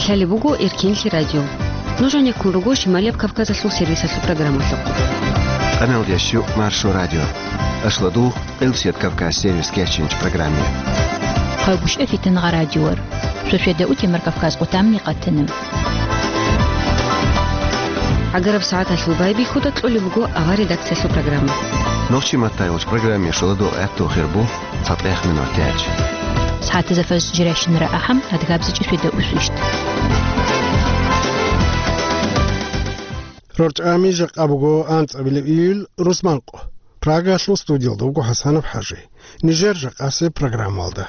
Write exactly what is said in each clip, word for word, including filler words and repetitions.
Лъалеб буго Эркенлъи радио. Нуж гьанеккун руго Шималияб Кавказалъул сервисалъул программалъухъ. Къамелдящу Маршо радио. Ашладу Къилсият Кавказ сервис кечинч программе. Хъайбушев Фитангъа радиор. Шошведа утемар Кавказ къутамни къатиним. Агараб сагӀаталъул байбихьуда кьолеб буго авар редакциялъул программа. Нохчи маттайулч программе шоладо гӀатту хирбу. ЦатӀех минут тяч. СагӀатазда фаз жиращинара ахӀам, адгабзичӀеб шведа усвищт. РорчӀами жакъа буго анцӀабилеб июль, рузманкъо. Прагалъул студиялда вуго ХӀасанов ХӀажи. Нижер жакъасеб программалда.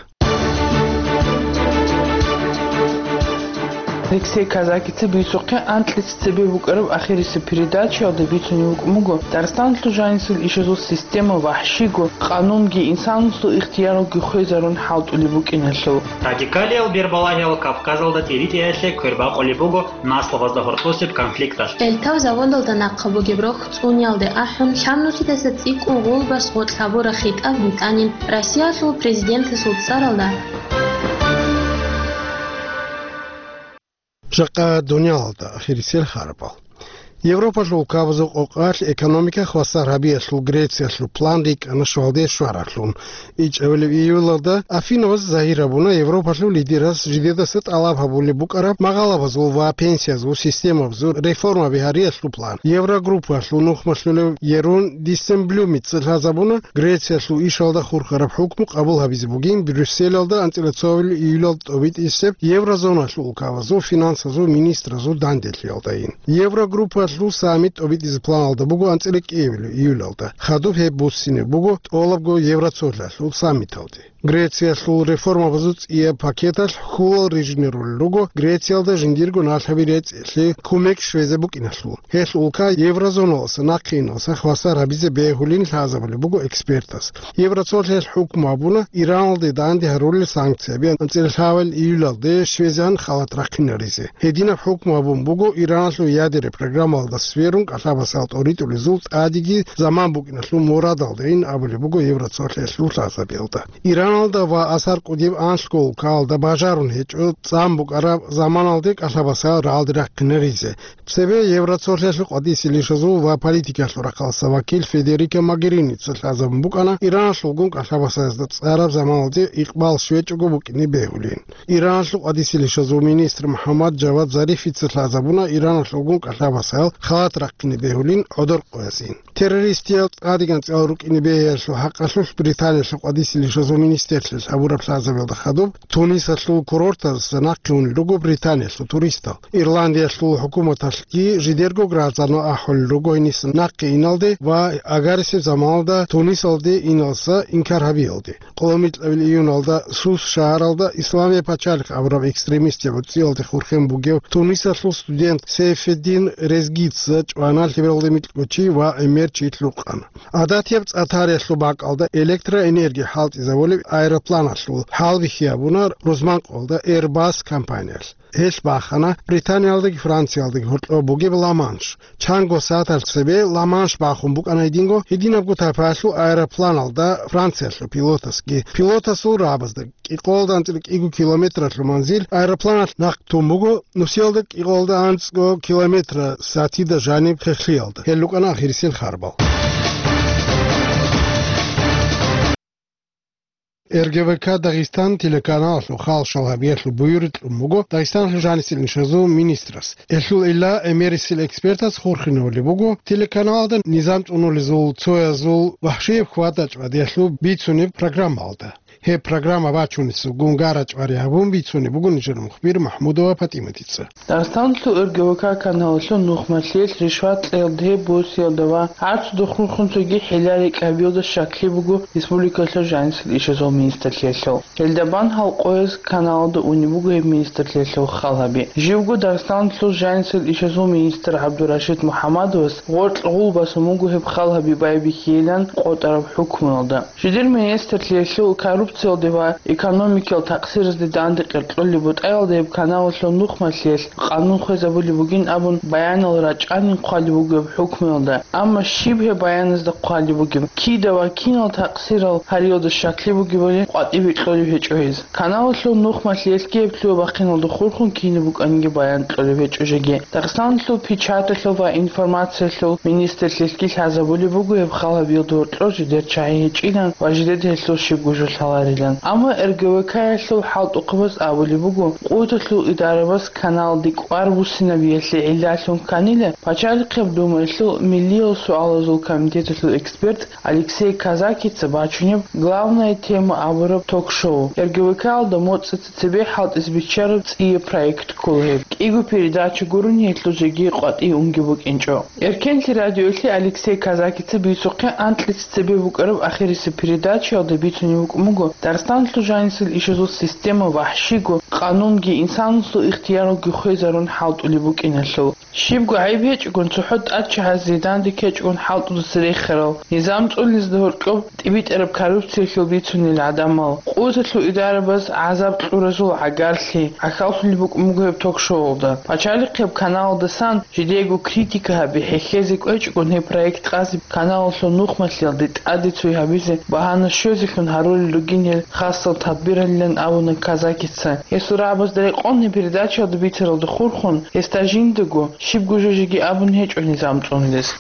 Алексей Казакица бицухъе анкьица цебе букӀараб ахирисеб передачаялда бицунеб букӀун буго Дагъистаналъул жанисел ишазул система вахӀшиго, къанунги инсанасул ихтияралги хвезарун хӀалтӀулеб букӀиналъул. Радикалиял бербалагьиял Кавказалда тӀиритӀиялъе квербакъулеб буго наслабазда гьоркьосеб конфликталъ. Эльтав заводалда нахъа бугеб рохь цӀуниялде ахӀун, лъабнусидаса цӀикӀкӀун гъулбас гъоркь гьабураб хитӀаб битӀанин Россиялъул президентасул цӀаралда. Жакъа дуниялалда ахирисел харабал. Европалъул улкабазул къокъалъ экономика хвасар гьабиялъул Грециялъул план рикӀкӀана щвалде щваралъун. ИчӀабилеб июлалда Афинабаз загьир гьабуна Европалъул лидерас жидедаса тӀалаб гьабулеб букӀараб магъалабазул ва пенсиязул системабазул реформаби гьариялъул план. Еврогруппалъул нухмалъулев Ерун Диссемблюмица лъазабуна Грециялъул ишалда хурхараб хӀукму къабул гьабизе бугин Брюсселалда анцӀила цоабилеб июлалда тӀобитӀисеб еврозоналъул улкабазул финансазул министразул данделъиялдайин. Еврогруппалъул саммит тӀобитӀизе планалда буго анцӀила кӀиабилеб июлалда. Хадуб гьеб буссине буго тӀолабго евроцолъалъул саммиталде. Грециялъул реформабазул цӀияб пакеталъ хьулал рижинерулел руго Грециялда жиндирго налъаби рецӀ лъе кумек щвезе букӀиналъул. Гьелъ улка еврозоналаса нахъе иналса хвасар гьабизе бегьулин лъазабулеб буго экспертас. Евроцолъиялъ хӀукму гьабуна Ираналде данде гьарулел санкцияби анцӀила лъабабилеб июлалде щвезегӀан халат рахъинаризе. Гьединаб хӀукму гьабун буго Ираналъул ядераб программалда сверун кӀалъабасал тӀоритӀулезул тӀадеги заман букӀиналъул мурадалдайин абулеб буго евроцолъиялъул лъазабиялда. Ираналда ва асар кӀудияб анлъго улкаялда бажарун гьечӀо цӀан букӀараб заманалде кӀалъабасал рагӀалде рахъинаризе. Цебе Евроцолъиялъул къватӀисел ишазул ва политикалъул рахъалъа вакил Федерика Могерини цолъазабун букӀана Ираналъулгун кӀалъабасазда цӀараб заманалде икъбал щвечӀого букӀине бегьулин. Ираналъул къватӀисел ишазул министр МухӀаммад Жавад Зарифица лъазабуна Ираналъулгун кӀалъабасал халат рахъине бегьулин гӀодор къоязин. Террористиял тӀадегӀан анцӀила рукӀине бегьиялъул хӀакъалъулъ Британиялъул къватӀисел ишазул министрлъи гьабураб лъазабиялда хадуб Тунисалъул курортазда нахъе унел руго Британиялъул туристал. Ирландиялъул хӀукуматалъги жидерго гражданал ахӀулел руго гьениса нахъе иналде ва агарисеб заманалда Тунисалде иналса инкар гьабиялде. Къоло микьабил июналда Сус шагьаралда Исламияб пачалихъ абураб экстремистияб гӀурцӀиялде хурхен бугев Тунисалъул студент Сейфеддин Резгица чӀвана лъебералда микьго чи ва гӀемер чи лъукъана. ГӀадатияб цӀа тариялъул бакӀалда электроэнерги хӀалтӀизабулеб аэропланалъул хӀалбихьи гьабуна рузманкъоялда Airbus компаниялъ. Гьелъ бахана Британиялдаги Франциялдаги гьоркьоб бугеб Ла-Манш. Чанго сагӀаталъ цебе Ла-Манш бахун букӀана гьединго, гьединабго тайпаялъул аэропланалда Франциялъул пилотасги. Пилотасул рагӀабазда кӀикъоялда анцӀила кӀиго километралъул манзил аэропланалъ нахъ тун буго, нусиялда кӀикъоялда анцӀго километр сатида жаниб хехлъиялда. Гьел рукӀана ахирисел харбал. РГВК Дагъистан телеканалалъул халкъ щвалабиялъул буюрикь кьун буго Дагъистаналъул жанисел ишазул министрас. Гьелъул илла гӀемерисел экспертас хурхинавулеб буго телеканалалда низам цӀунулезул цоязул вахӀшияб хьвада-чӀвадиялъул бицунеб программаялда. Гьеб программа бачунесулгун гара-чӀвари гьабун бицунеб буго нижер мухбир МахӀмудова ПатӀиматица. Дагъистаналъул РГВК каналалъул нухмалъиялъ ришват кьеялда гьеб босиялда ва гӀарцудухъ хурхун цоги хӀилла-рекӀкӀ гьабиялда щаклъи буго республикалъул жанисел ишазул министрлъиялъул. Гьелда бан гьал къояз каналалда унеб буго гьеб министрлъиялъул халгьаби. Живго Дагъистаналъул жанисел ишазул министр ГӀабдурашид МухӀамадовас гъоркь гъул басун буго гьеб халгьаби байбихьейилан къотӀараб хӀукмуялда. Жидер министрлъиялъул коррупциялде ва экономикиял такъсиразде данде къеркьолеб бутӀаялда гьеб каналалъул нухмалъиялъ къанун хвезабулеб бугин абун баянал рачӀанин хъвалеб буго гьеб хӀукмуялда. Амма щиб гьеб баяназда хъвалеб бугеб, кида ва кинал такъсирал гьариялда щаклъи бугебали къватӀибе кьолеб гьечӀо гьез. Каналалъул нухмалъиялъги гьеб лъугьа-бахъиналда хурхун кинаб букӀаниги баян кьолеб гьечӀо жеги. Дагъистаналъул печаталъул ва информациялъул министрлъиялъги лъазабулеб буго гьеб хал гьабиялда гьоркьор жидер чагӀи гьечӀилан ва жидеда гьелъул щибго жо лъаларилан. Амма РГВК-ялъул хӀалтӀухъабаз абулеб буго, къуваталъул идарабаз каналалде кӀвар буссинабиялъе гӀиллалъун кканила, Пачалихъеб Думаялъул миллиял суалазул комитеталъул эксперт Алексей Казакица бачунеб «Главная тема» абураб ток-шоу. РГВК-алда моцӀица цебе хӀалтӀизе биччараб цӀияб проект ккола гьеб. КӀиго передача гурони гьелъул жеги къватӀи унги букӀинчӀо. Эркенлъи радиоялъе Алексей Казакица бицухъе анкьица цебе букӀараб ахирисеб передачаялда бицунеб букӀун буго, Дагъистаналъул жанисел ишазул система вахӀщиго, къанунги, инсанасул ихтияралги хвезарун хӀалтӀулеб букӀиналъул. Щибго гӀайиб гьечӀогун, цохӀо тӀадчагьазе данде ккечӀогун хӀалтӀудаса рехарал, низам цӀунизда гьоркьоб тӀибитӀараб коррупциялъул бицунел гӀадамал, къуваталъул идарабаз гӀазаб кьуразул гӀагарлъи гӀахьаллъулеб букӀун буго гьеб ток-шоуялда. Пачалихъеб каналалдасан жидеего критика гьаби хӀехьезе кӀвечӀогун, гьеб проект къазе каналалъул нухмалъиялде тӀаде цой гьабизе багьана щвезелъун гьарулел ругин гьел хасал тадбиралилан абуна Казакица. Гьесул рагӀабазда рекъон гьеб передачаялда бицаралда хурхун, гьесда жиндаго щибго жо жеги абун гьечӀо низам цӀунулес.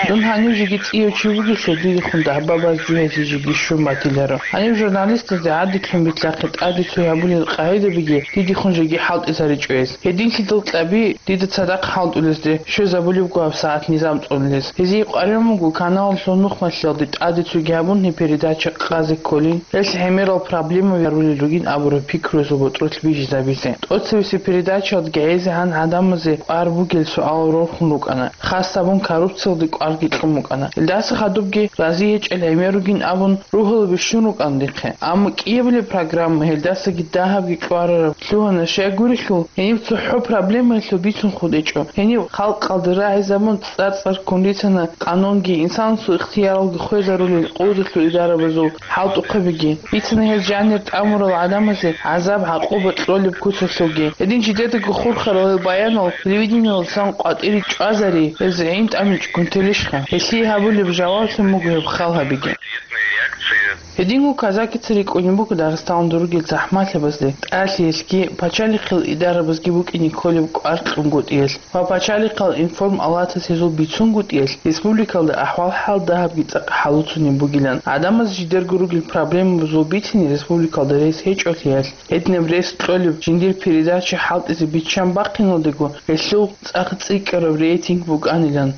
Дун гьанив жеги цӀияв чи вугелъул, дидехун дагьба баз жугьезе жеги щун батиларо. Гьанив журналистазде гӀадидлъун битлъахъе тӀаде цой гьабулел къагӀидабиги дидехун жеги хӀалтӀизаричӀо гьес. Гьединлъидал кьаби дида цадахъ хӀалтӀулезде щвезабулебго гьаб сагӀат низам цӀунулес. Гьезие къваригӀун буго каналалъул нухмалъиялде тӀаде цойги гьабун гьеб передача къазе кколин, гьелъ гӀемерал проблемаби гьарулел ругин абураб пикруязул ботӀролъ бижизабизе. ТӀоцебесеб передачаялдаги гӀезегӀан гӀадамазе кӀвар бугел суалал рорхун рукӀана, хас гьабун коррупциялде кӀварги кьун букӀана. Гьелдаса хадубги рази гьечӀел гӀемер ругин абун ругьалаби щун рукӀана дихъе. Амма кӀиабилеб программа гьелдасаги дагьабги кьварараб лъугьана, щай гурелъул, гьениб цохӀо проблемаялъул бицун хутӀичӀо. Гьениб халкъалда рагӀизабун цӀар-цӀар ккун рицана къанунги, инсанасул ихтияралги хвезарулел къуваталъул идарабазул хӀалтӀухъабиги. Бицана гьез жанир тӀамурал гӀадамазе гӀазаб-гӀакъуба кьолеб куцалъулги. Гьедин жидедаго хурхарал гьел баянал телевидениялдасан къватӀире чӀвазари, гьез гӀин тӀамичӀгун телищха? Гьелъие гьабулеб жаваблъун буго гьеб хал гьабиги. Гьединго Казакица рикӀкӀунеб буго Дагъистаналда ругел захӀмалъабазде, тӀалъиялъги, пачалихъил идарабазги букӀине кколеб кӀвар кьунгутӀиялъ ва пачалихъал информалатас гьезул бицунгутӀиялъ республикалда ахӀвал-хӀал дагьабги цӀакъ хӀалуцунеб бугилан. ГӀадамаз жидерго ругел проблемабазул бицине республикалда рес гьечӀолъиялъ, гьединаб рес кьолеб жиндир передача хӀалтӀизе биччан бахъиналдего, гьелъул цӀакъ цӀикӀкӀараб рейтинг букӀанилан.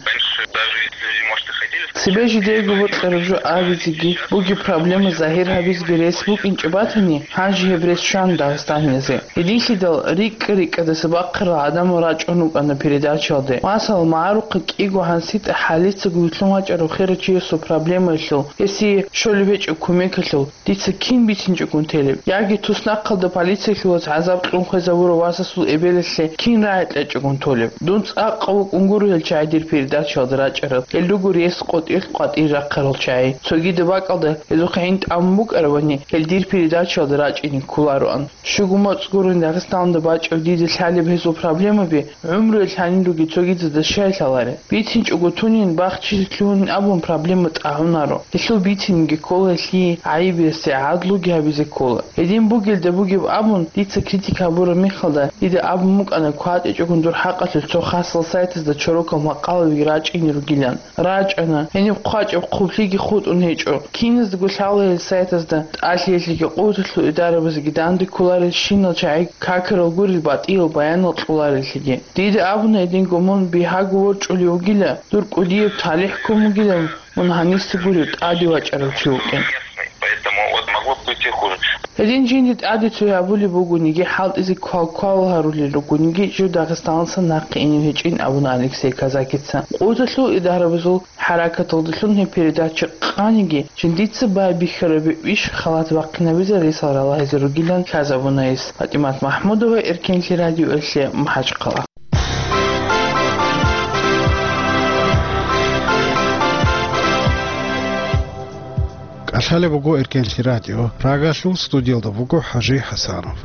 Цебе жидеего бокьараб жо абизеги, бугеб проблема загьир гьабизеги рес букӀинчӀеб батани, гьанже гьеб рес щван дагъистаниязе. Гьединлъидал рикӀкӀа-рикӀкӀадаса бахъарал гӀадамал рачӀун рукӀана передачаялде. Масала, магӀарухъа кӀиго гьанситӀа хӀалицаго вилълъун вачӀарав хирав чиясул проблемаялъул, гьесие щолеб гьечӀеб кумекалъул, дица кин бицинчӀогун телеб? Яги туснахъалда полициялъулаз гӀазаб кьун хвезабурав васасул эбелалъе кин рагӀи кьечӀогун толеб? Дун цӀакъ вукӀун гуро гьел чагӀи дир передачаялда рачӀарал, гьел руго рес къотӀилъ къватӀире рахъарал чагӀи. Цогидаб бакӀалда гьезухъ гӀин тӀамун букӀарабани, гьел дир передачаялда рачӀине кколароан. Щуго моцӀ гурони Дагъистаналда бачӀав дида лъалеб гьезул проблемаби, гӀумруялъ гьанир ругел цогидазда щай лъаларел? БицинчӀого тунин, бахчизе лъугьунин абун проблема тӀагӀунаро. Гьелъул бицинеги ккола гьелъие гӀайиб ясде гӀадлуги гьабизе ккола. Гьедин бугелда бугеб абун, дица критика гьабураб мехалда, дида абун букӀана кватӀичӀогун дур хӀакъалъулъ цо хасал сайтазда чорокал макъалаби рачӀине ругилан. РачӀана, гьениб хъвачӀеб хъублъиги хутӀун гьечӀо. Киназдаго лъала гьел сайтазда, тӀалъиялъеги къуваталъул идарабазеги данде кколарелщинал чагӀи какарал гурел батӀиял баянал кьолареллъиги. Дида абуна гьединго, мун бигьаго ворчӀулев вугила, дур кӀудияб талихӀ ккун бугила, мун гьаниса гурев тӀаде вачӀарав чи вукӀин. Гьедин жинде тӀаде цой гьабулеб бугониги, хӀалтӀизе квал-квалал гьарулел ругониги, жив Дагъистаналдаса нахъе инев гьечӀин абуна Алексей Казакица. Къуваталъул идарабазул хӀаракаталдалъун гьеб передача къаниги, жиндица байбихьараб иш халат бахъинабизе ресал ралагьизе ругилан лъазабуна гьес. ПатӀимат МахӀмудова, Эркенлъи радиоялъе, МахӀачхъала. Лъалеб буго Эркенлъи радио, Прагалъул студиялда буго ХӀажи ХӀасанов.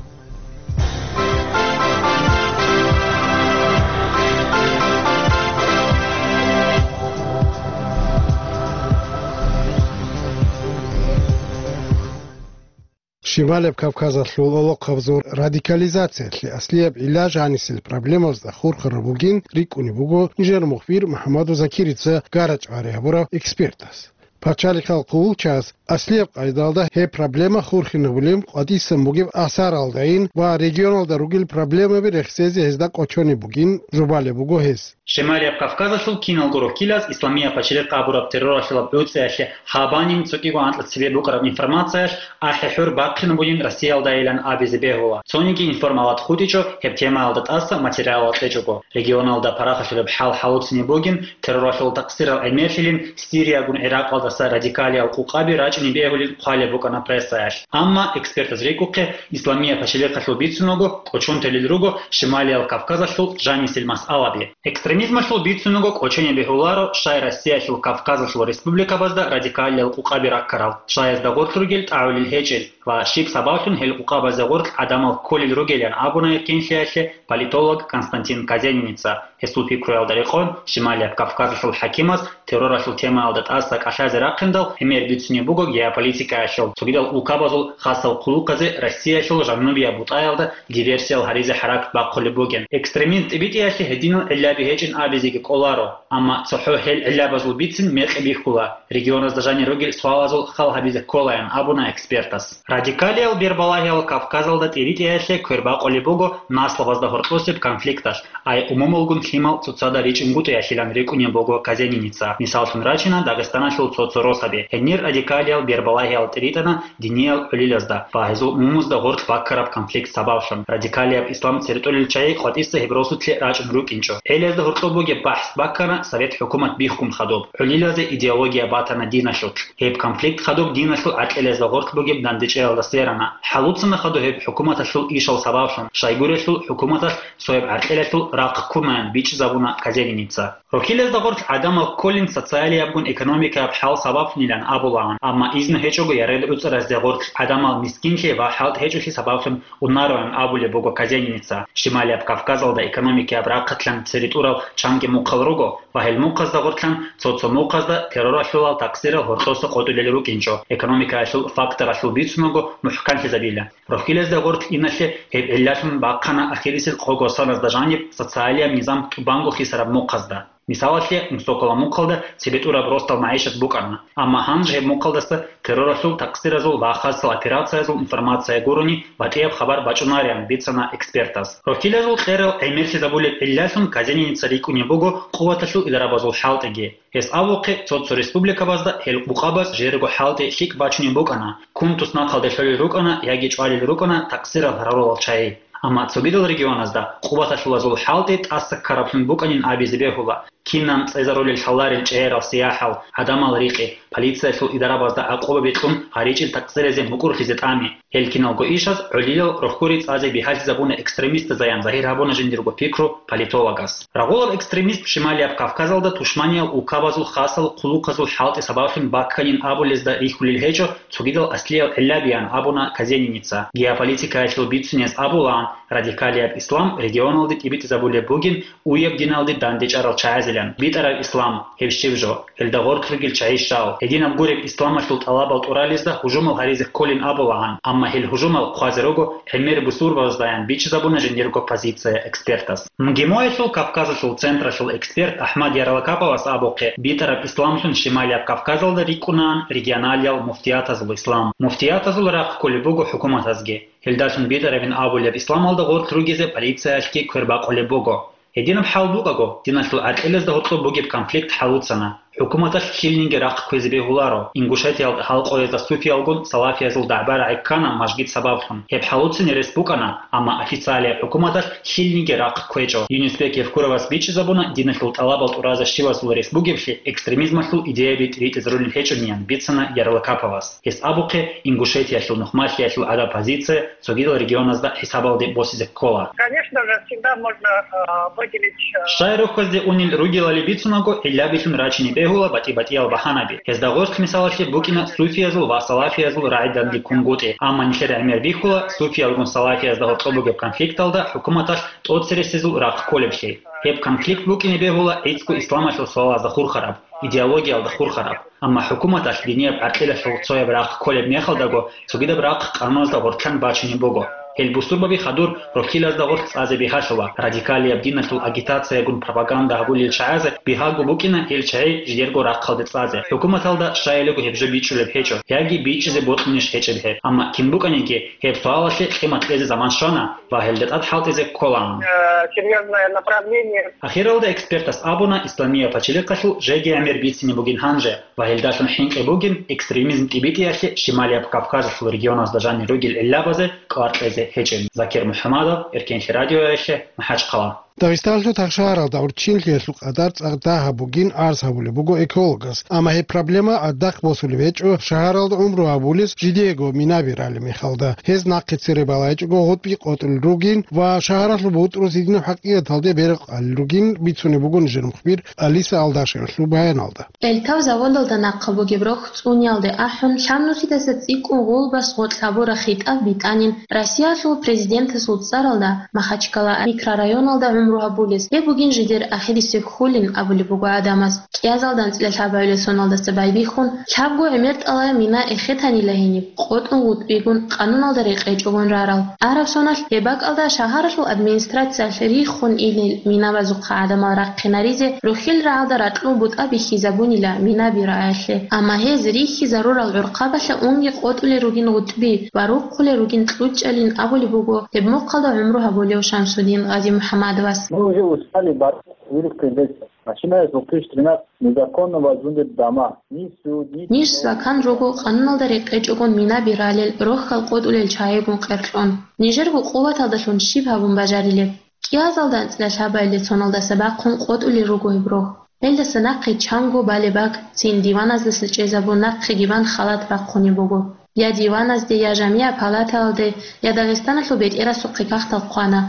Шималияб Кавказалъул гӀолохъабазул радикализациялъе аслияб гӀилла жанисел проблемазда хурхараб бугин рикӀкӀунеб буго нижер мухбир МухӀаммадов Закирица гарачӀвари гьабурав экспертас. Пачалихъал хъулчагьаз аслияб къайдалда гьеб проблема хурхинабулеб къватӀисан бугеб асаралдайин ва регионалда ругел проблемаби рехсезе гьезда кӀочонеб бугин жубалеб буго гьес. Шималияб Кавказалъул киналго рокилаз Исламияб пачалихъ абураб терроралъулаб гӀуцӀиялъе гьабанин цо кӀиго анкьа цебе букӀараб информациялъ ахӀи-хӀур бахъинабулин Россиялдайилан абизе бегьула. Цониги информалат хутӀичӀо гьеб темаялда тӀаса материалал кьечӀого. Регионалда парахалъулеб хӀал хӀалуцинеб бугин, терроралъул такъсирал гӀемерлъилин Сириягун ГӀиракъалдаса радикалиял къукъаби рачӀине бегьулин хъвалеб букӀана прессаялъ. Амма экспертаз рикӀухъе, Исламияб пачалихъалъул бицунаго кӀочон телел руго Шималиял Кавказалъул жанисел масъалаби. Экстремизмалъул бицунаго кӀочене бегьуларо, щай Россиялъул Кавказалъул республикабазда радикалиял къукъаби раккарал, щай гьезда гъорлъ ругел тӀагӀулел гьечӀел ва щиб сабаблъун гьел къукъабазда гъорлъ гӀадамал кколел ругелан абуна Эркенлъиялъе политолог Константин Казениница. Гьесул пикруялда рекъон, Шималияб Кавказалъул хӀакимаз терроралъул темаялда тӀаса кӀалъазе рахъиндал, гӀемер бицунеб буго геополитикаялъул, цогидал улкабазул хасал хъулухъазе Россиялъул жанубияб бутӀаялда диверсиял гьаризе хӀаракат бахъулеб бугин. Экстремизм тӀибитӀиялъе гьединал гӀиллаби гьечӀин абизеги кӀоларо, амма цохӀо гьел гӀиллабазул бицин мекъи бихьула, регионазда жанир ругел суалазул хал гьабизе кколаян абуна экспертас. Радикалиял бербалагьиял Кавказалда тӀибитӀиялъе квербакъулеб буго наслабазда гьоркьосеб конфликталъ, ай умумулгун лъимал цоцазда ричӀунгутӀиялъилан рикӀкӀунеб буго Казениница. Мисаллъун рачина Дагъистаналъул цо-цо росаби. Гьенир радикалиял бербалагьиял тӀиритӀана диниял гӀолилазда ва гьезул умумузда гъорлъ баккараб конфликт сабаблъун. Радикалияб ислам церетӀолел чагӀи къватӀиса гьеб росулъе рачӀун рукӀинчӀо. ГӀелиязда гьоркьоб бугеб бахӀс баккана совет хӀукумат биххун хадуб. ГӀолилазе идеология батана диналъулъ. Гьеб конфликт хадуб диналъул гӀаркьилазда гъорлъ бугеб дандечӀеялда сверана. ХӀалуцана хадуб гьеб хӀукуматалъул ишал сабаблъун, щайгурелъул хӀукуматалъ цояб гӀаркьилалъул рахъ ккунаян бичӀчӀизабуна Казениница. Рокилазда гъорлъ гӀадамал кколин социалиябгун экономикаяб хӀал сабаблъунилан абулаан, амма изну гьечӀого яред гӀуцӀаразде гъорлъ гӀадамал мискинлъи ва хӀалтӀи гьечӀолъи сабаблъун унароян абулеб буго Казениница. Шималияб Кавказалда экономикаяб рахъалъан цере тӀурал чанги мухъал руго ва гьел мухъазда гъорлъан цо-цо мухъазда терроралъулал такъсирал гьоркьоса къотӀулел рукӀинчӀо, экономикаялъул факторалъул бицунаго мухӀканлъизабила. Рохилазда гъорлъ иналъе гьеб гӀиллалъун бахъана ахирисел къого саназда жаниб социалияб низам тӀубанго хисараб мухъазда. Мисалалъе, Мусокола мухъалда цебетӀураб росдал магӀишат букӀана, амма гьанже гьеб мухъалдаса терроралъул такъсиразул ва хасал операциязул информация гурони батӀияб хабар бачӀунариян бицана экспертас. Рохилазул кьерал гӀемерлъизабулеб гӀиллалъун Казениница рикӀкӀунеб буго къуваталъул идарабазул хӀалтӀиги. Гьес абухъе, цо-цо республикабазда гьел къукъабаз жерго хӀалтӀи лъикӀ бачунеб букӀана, кунтус нахъалде лъолел рукӀана яги чӀвалел рукӀана такъсирал гьарулал чагӀи. Амма цогидал регионазда къуваталъулазул хӀалтӀи тӀаса ккараблъун букӀанин абизе бегьула, кинан цӀезарулел лъаларел чӀегӀерал сияхӀал, гӀадамал рикъи, полициялъул идарабазда гӀакъуба бикьун гьаричӀел такъсирезе мукӀурлъизе тӀами. Гьел киналго ишаз гӀолилал рохьури цӀазе бигьалъизабуна экстремистазаян загьир гьабуна жиндирго пикру политологас. Рагъулаб экстремизм Шималияб Кавказалда тушманиял улкабазул хасал хъулухъазул хӀалтӀи сабаблъун бакканин абулезда рихьулел гьечӀо, цогидал аслиял гӀиллабиян абуна Казениница. Геополитикаялъул бицунияз абулаан, радикалияб ислам регионалде тӀибитӀизабулеб бугин уяб диналде дандечӀарал чагӀазилан. БитӀараб ислам, гьеб щиб жо, гьелда гъорлъ ругел чагӀи щал, гьединаб гуреб исламалъул тӀалабал тӀуралезда гьужумал гьаризе кколин абулаан, амма гьел гьужумал хъвазе руго гӀемер бусурбабаздаян бичӀчӀизабуна жиндирго позиция экспертас. МГИМОялъул Кавказалъул централъул эксперт АхӀмад Ярлакаповас абухъе, битӀараб исламлъун Шималияб Кавказалда рикӀкӀунаан регионалиял муфтиятазул ислам. Муфтиятазул рахъ кколеб буго хӀукуматазги. Гьелдалъун битӀарабин абулеб исламалда гъорлъ ругезе полициялъги квербакъулеб буго. Гьединаб хӀал букӀаго, диналъул гӀаркьилазда гьоркьоб бугеб конфликт хӀалуцана. ХӀукуматалъ лъилнинги рахъ кквезе бегьуларо, Ингушетиялда гьалкъоязда суфиялгун салафиязул дагӀба-рагӀи ккана мажгит сабаблъун. Гьеб хӀалуцин рес букӀана, амма официалияб хӀукуматалъ лъилнинги рахъ кквечӀо. Юнусбек Евкуровас бичӀчӀизабуна диналъул тӀалабал тӀуразда щивасул рес бугеблъи экстремизмалъул идеяби тӀибитӀизарулел гьечӀониян бицана Ярлакаповас. Гьес абухъе, Ингушетиялъул нухмалъиялъул гӀадаб позиция цогидал регионазда хӀисабалде босизе ккола. Конечно же, всегда можно, э, выделить, э, Щай рохьазде унел ругелали бицунаго, гӀиллабилъун рачине бегьула батӀи-батӀиял багьанаби. Гьезда гъоркь мисалалъе букӀина суфиязул ва салафиязул рагӀи данде ккунгутӀи, амма нилъер гӀемер бихьула суфиялгун салафиязда гьоркьоб бугеб конфликталда хӀукуматалъ тӀоцересезул рахъ кколеблъи. Гьеб конфликт букӀине бегьула гӀицӀго исламалъул суалазда хурхараб, идеологиялда хурхараб. Амма хӀукуматалъ динияб гӀаркьилалъул цояб рахъ кколеб мехалдаго цогидаб рахъ къануналда гъоркьан бачунеб буго. Гьел бусурбаби хадур рохьилазда гъоркь цӀазе бигьалъула, радикалияб диналъул агитациягун пропаганда гьабулел чагӀазе бигьаго букӀина гьел чагӀи жидерго рахъалде цӀазе. ХӀукуматалда щайилего гьеб жо бичӀчӀулеб гьечӀо, яги бичӀчӀизе бокьунищ гьечӀеб гьеб. Амма кин букӀаниги, гьеб суалалъе къимат кьезе заман щвана ва гьелда тӀад хӀалтӀизе кколаан. Э, серьёзное направление. Ахиралда экспертас абуна, исламияб пачалихъалъул жеги гӀемер бицине бугин гьанже ва гьелдалъун хӀинкъи бугин экстремизм тӀибитӀиялъе Шималияб Кавказалъул регионазда жанир ругел гӀиллабазе кӀвар кьезе гьечӀин. Закир МухӀамадов, Эркенлъи радиоялъе, МахӀачхъала. Дагъистаналъул тахшагьаралда гӀурччинлъиялъул къадар цӀакъ дагьаб бугин арз гьабулеб буго экологас. Амма гьеб проблема гӀадахъ босулеб гьечӀо шагьаралда гӀумру гьабулес жидеего минаби ралеб мехалда. Гьез нахъе цере балайчӀого гъутӀби къотӀулел ругин ва шагьаралъул бутӀрузидинаб хӀакъикъаталде беркъалел ругин бицунеб буго нижер мухбир Алиса Алдашевалъул баяналда. Эльтав заводалда нахъа бугеб рохь цӀуниялде ахӀун, лъабнусидаса цӀикӀкӀун гъулбас гъоркь гьабураб хитӀаб битӀанин Россиялъул президентасул цӀаралда Махачкала микрорайоналда гӀумру гьабулес. Гьеб бугин жидер ахирисеб хьулин абулеб буго гӀадамаз. КӀиазалда анцӀила лъабабилеб соналдаса байбихьун, лъабго гӀемер тӀалай мина эхетанила гьениб, къотӀун гъутӀбигун, къануналда рекъечӀогун рарал. Араб соналъ гьеб бакӀалда шагьаралъул администрациялъ риххун илел минабазухъа гӀадамал рахъинаризе рохьил рагӀалда ракьул бутӀа бихьизабунила минаби раялъе. Амма гьез рихьизарурал гӀурхъабалъа унги къотӀулел ругин гъутӀби ва рухъулел ругин кьучӀалин абулеб буго гьеб мухъалда гӀумру гьабулев Шамсудин Гъазимухьамадовас. Мы уже устали бороться, вырубка леса. Начиная с две тысячи тринадцатого незаконно возводят дома. Ни суд, ни Ниж закан руго къануналда рекъечӀогун минаби ралел, рохьал къотӀулел чагӀигун къеркьон. Нижерго къуваталдалъун щиб гьабун бажарилеб? КӀиазалда анцӀила лъабабилеб соналдаса бахъун къотӀулел руго гьеб рохь. Гьелдаса нахъе чанго балеб бакӀ, цин диваназдаса чӀезабун нахъеги бан халат бахъунеб буго. Я диваназде, я жамигӀ палатаялде, я Дагъистаналъул бетӀерасухъе кагътал хъвана,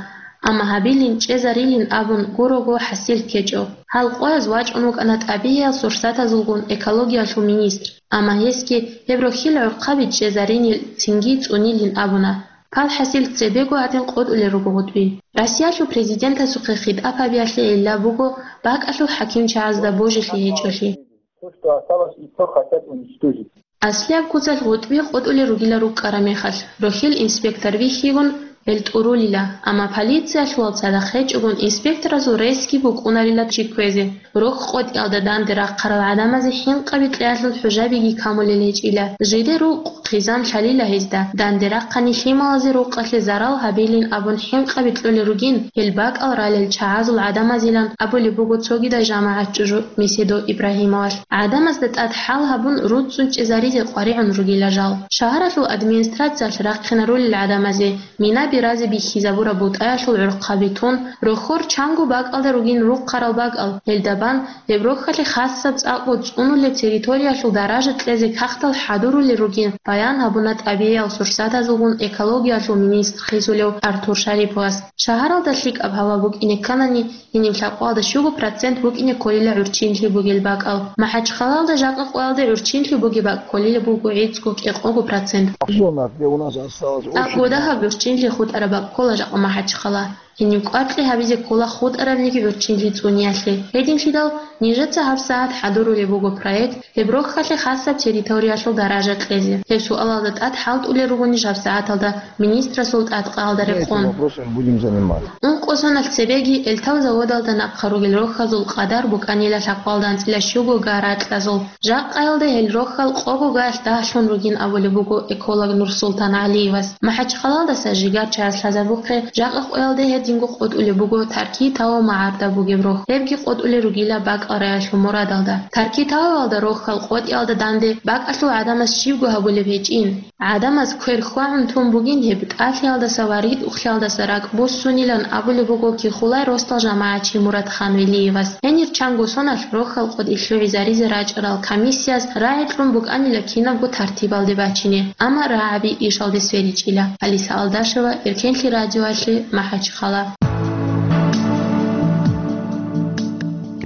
амма гьабилин, чӀезарилин абун гурого хӀасил ккечӀо. Гьал къояз вачӀун вукӀана тӀабигӀиял сурсатазулгун экологиялъул министр, амма гьесги гьеб рохьил гӀурхъаби чӀезаринил, цинги цӀунилин абуна. Пал хӀасил цебего гьадин къотӀулел руго гъутӀби. Россиялъул президентасухъе хитӀаб гьабиялъе гӀилла буго бакӀалъул хӀакимчагӀазда божилъи гьечӀолъи. То, что осталось, и то хотят уничтожить. Аслияб куцалъ гъутӀби къотӀулел ругила рукӀкӀараб мехалъ, рохьил инспектор вихьигун, гьел тӀурулила, амма полициялъулал цадахъ гьечӀогун инспекторазул ресги букӀунарила чи кквезе. Рохь къотӀиялда данде рахъарал гӀадамазе хӀинкъаби кьеялъул хӀужабиги камулел гьечӀила. Жиде рукъ хъизан лъалила гьезда, данде рахъани лъималазе рукъалъе зарал гьабилин абун хӀинкъаби кьолел ругин, гьел бакӀал ралел чагӀазул гӀадамазилан абулеб буго цогидай жамагӀат чӀужу Меседов Ибрагьимовалъ. ГӀадамазда тӀад хӀал гьабун, руццун чӀезаризе къваригӀун ругила жал. Шагьаралъул администрациялъ рахъинарулел гӀадамазе мина биразе бихьизабураб бутӀаялъул гӀурхъаби тун, рохьор чанго бакӀалда ругин рухъарал бакӀал, гьелда бан гьеб рохьалъе хасаб цӀакъго цӀунулеб территориялъул даража кьезе кагътал хӀадурулел ругин, баян гьабуна тӀабигӀиял сурсатазулгун экологиялъул министр хисулев Артур Шариповас. Шагьаралда лъикӀаб гьава букӀине кканани, гьениб лъабкъоялда щуго процент букӀине кколила гӀурччинлъи бугел бакӀал. МахӀачхъалалда жакъа къоялде гӀурччинлъи бугеб бакӀ кколила буго гӀицӀго-кӀикъого процент. Зона, где у нас осталось очень ТӀакӀго дагьаб гӀурччинлъи хутӀараб бакӀ ккола жакъа МахӀачхъала. Гьениб кӀваркьи гьабизе ккола хутӀарабниги гӀурччинлъи цӀуниялъе. Гьединлъидал нижеца гьабсагӀат хӀадурулеб буго проект, гьеб рохьалъе хасаб территориялъул даража кьезе. Гьеб суалалда тӀад хӀалтӀулел ругонищ гьабсагӀаталда министрасул тӀадкъаялда рекъон? Этим вопросом будем заниматься. Ункъо соналъ цебеги Эльтав заводалда нахъа ругел рохьазул къадар букӀанила лъабкъоялда анцӀила щуго га ракьазул. Жакъаялда гьел рохьал къого гаялъ дагьлъун ругин абулеб буго эколог Нурсултан ГӀалиевас. МахӀачхъалалдаса жигар чагӀаз лъазабухъе, жакъа къоялда гьединго къотӀулеб буго Таркий тавал магӀарда бугеб рохь. Гьебги къотӀулел ругила бакӀал раялъул мурадалда. Таркий тавалалда рохьал къотӀиялда данде бакӀалъул гӀадамаз щибго гьабулеб гьечӀин. ГӀадамаз квер хьвагӀун тун бугин гьеб тӀалъиялдаса ва ритӀухълъиялдаса ракӀ буссунилан абулеб буго Кихулай росдал жамагӀатчи Муратхан Велиевас. Гьенир чанго соналъ рохьал къотӀи лъугӀизаризе рачӀарал комиссияз рагӀи кьун букӀанила кинабго тартибалде бачине, амма рагӀаби ишалде сверичӀила. Алиса Алдашева, Эркенлъи радиоялъе, МахӀачхъала.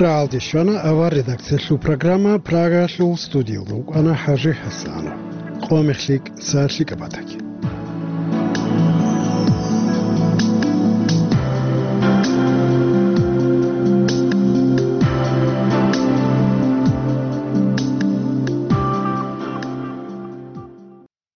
Рагьалде щвана авар редакциялъул программа. Прагаялъул студиялда вукӀана ХӀажи ХӀасанов. Къо мехлъи кӀса лъикӀаб батаги.